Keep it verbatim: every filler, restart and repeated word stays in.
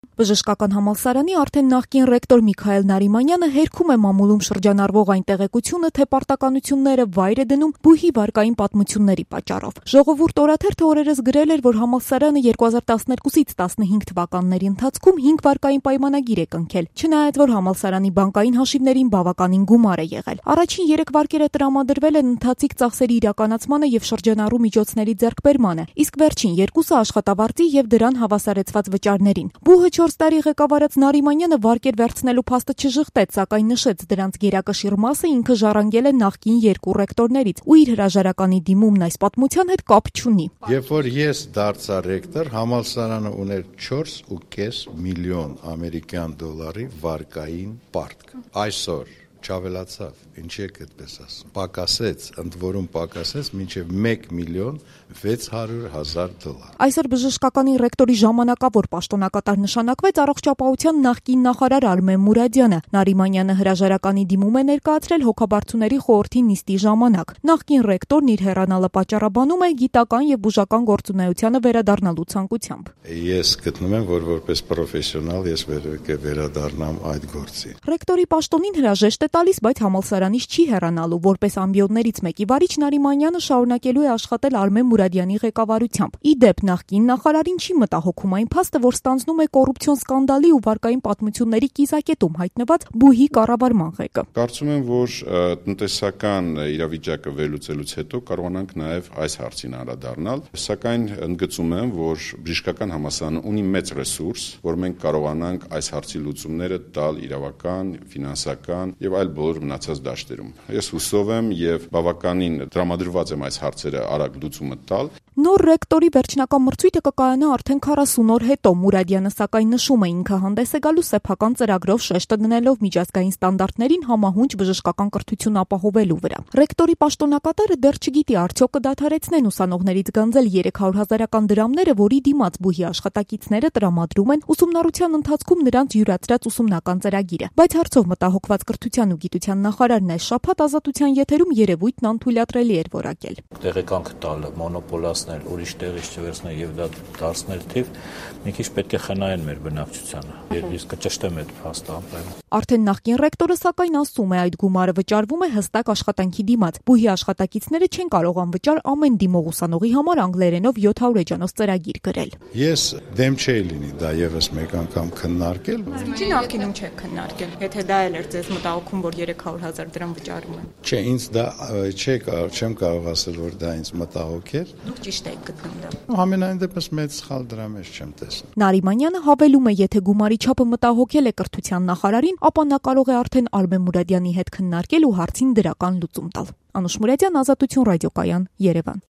Բժշկական համալսարանի արդեն նախկին ռեկտոր Միքայել Նարիմանյանը հերքում է մամուլում շրջանառվող այն տեղեկությունը, թե պարտականությունները վայր է դնում բուհի վարկային պատմությունների պատճառով։ Ժողովուրդ օրաթերթը օրերս գրել էր, որ համալսարանը երկու հազար տասներկուսից տասնհինգ թվականների ընթացքում հինգ վարկային պայմանագիր է կնքել, չնայած որ համալսարանի բանկային հաշիվներին բավականին գումար է եղել։ Առաջին երեք վարկերը տրամադրվել են ընթացիկ ծախսերի իրականացմանը եւ շրջանառու միջոցների ձեռքբերմանը, իսկ վերջին երկուսը աշխատավարձի եւ դրան հավասարեցված վճարներին։ Բուհը չորս տարի ղեկավարած Նարիմանյանը վարկեր վերցնելու փաստը չժխտեց, սակայն նշեց դրանց գերակշիռ մասը ինքը ժառանգել է նախկին երկու ռեկտորներից ու իր հրաժարականի դիմումն այս պատմության հետ կապ չունի։ Երբ որ ես դարձա ռեկտոր, համալսարանը ուներ չորս ու կես միլիոն ամերիկյան դոլարի վարկային պարտք։ Այսօր չավելացավ, ինչի եք այդպես ասում, պակասեց, ընդ որում պակասեց մինչև մեկ միլիոն վեց հարյուր հազար դոլար։ Այսօր բժշկականի ռեկտորի ժամանակավոր պաշտոնակատար նշանակվեց առողջապահության նախկին նախարար Արմեն Մուրադյանը։ Նարիմանյանը հրաժարականի դիմում է ներկայացրել հոգաբարձուների խորհրդի նիստի ժամանակ։ Նախկին ռեկտորն իր հեռանալը պատճառաբանում է գիտական եւ բուժական գործունեությանը վերադառնալու ցանկությամբ։ Ես գտնում եմ, որ որպես պրոֆեսիոնալ ես վերադառնամ այդ գործին։ Ռեկտորի պաշտոնին հրաժեշտ է տալիս, բայց համալսարանից չի հեռանալու։ Որպես ամբիոններից մեկի վարիչ Նարիմանյանը շարունակելու է աշխատել Արմեն Մուրադյանի ղեկավարությամբ։ Ի դեպ, նախկին նախարարին չի մտահոգում այն փաստը, որ ստանձնում է կոռուպցիոն սկանդալի ու վարկային պատմությունների կիզակետում հայտնված բուհի կառավարման ղեկը։ Կարծում եմ, որ տնտեսական իրավիճակը վերլուծելուց հետո կարողանանք նաև այս հարցին անդրադառնալ, սակայն ընդգծում եմ, որ բժշկական համալսարանը ունի մեծ ռեսուրս, որ մենք կարողանանք այս հարցի լուծումները տալ իրավական, ֆինանսական եւ այլ բոլոր մնացած դաշտերում։ Ես հուսով եմ եւ բավականին տրամադրված եմ այս հարցերը արագ լուծումը տալ։ Նոր ռեկտորի վերջնական մրցույթը կկայանա արդեն քառասուն օր հետո։ Մուրադյանը սակայն նշում է, ինքը հանդես է գալու սեփական ծրագրով շեշտը դնելով միջազգային ստանդարտներին համահունչ բժշկական կրթություն ապահովելու վրա։ Ռեկտորի պաշտոնակատարը դեռ չգիտի արդյոք կդադարեցնեն ուսանողներից գանձել երեք հարյուր հազարական դրամները, որի դիմաց բուհի աշխատակիցները տրամադրում են ուսումնառության ընթացքում նրանց յուրացրած ուսումնական ծրագիրը։ Բայց հարցով մտահոգված կրթության ու գիտության նախարարն այս շաբաթ Ազատության եթերում երևույթն անթույլատրելի էր որակել։ Տեղեկանք տալ, մոնոպոլացնել, ուրիշ տեղից չվերցնել եւ դա դարձնել թիվ, մի քիչ պետք է խնայեն մեր բնակչությանը։ Եվ իսկ կճշտեմ այդ փաստը ամեն։ Արդեն նախկին ռեկտորը սակայն ասում է, այդ գումարը վճարվում է հստակ աշխատանքի դիմաց։ Բուհի աշխատակիցները չեն կարող անվճար ամեն դիմող ուսանողի համար անգլերենով յոթ հարյուր էջանոց ծրագիր գրել։ Ես դեմ չէի լինի դա եւս մեկ անգամ քննարկել։ Ինչի նախկինում չեք քննարկել, եթե դա էլ էր ձեզ մտահոգում, որ երեք հարյուր հազար դրամ վճարում են։ Չէ, ինձ դա չէ, չեմ կարող ասել, որ դա ինձ մտահոգ էր։ Դուք ճիշտ եք գտնում դա։ Համենայն դեպս մեծ սխալ դրա մեջ չեմ տեսնում։ Նարիմանյանը հավելում է, եթե գումարի չափը մտահոգել է կրթության նախարարին, ապա նա կարող է արդեն Արմեն Մուրադյանի հետ քննարկել ու հարցին դրական լուծում տալ։ Անուշ Մուրադյան, Ազատություն ռադիոկայան, Երևան։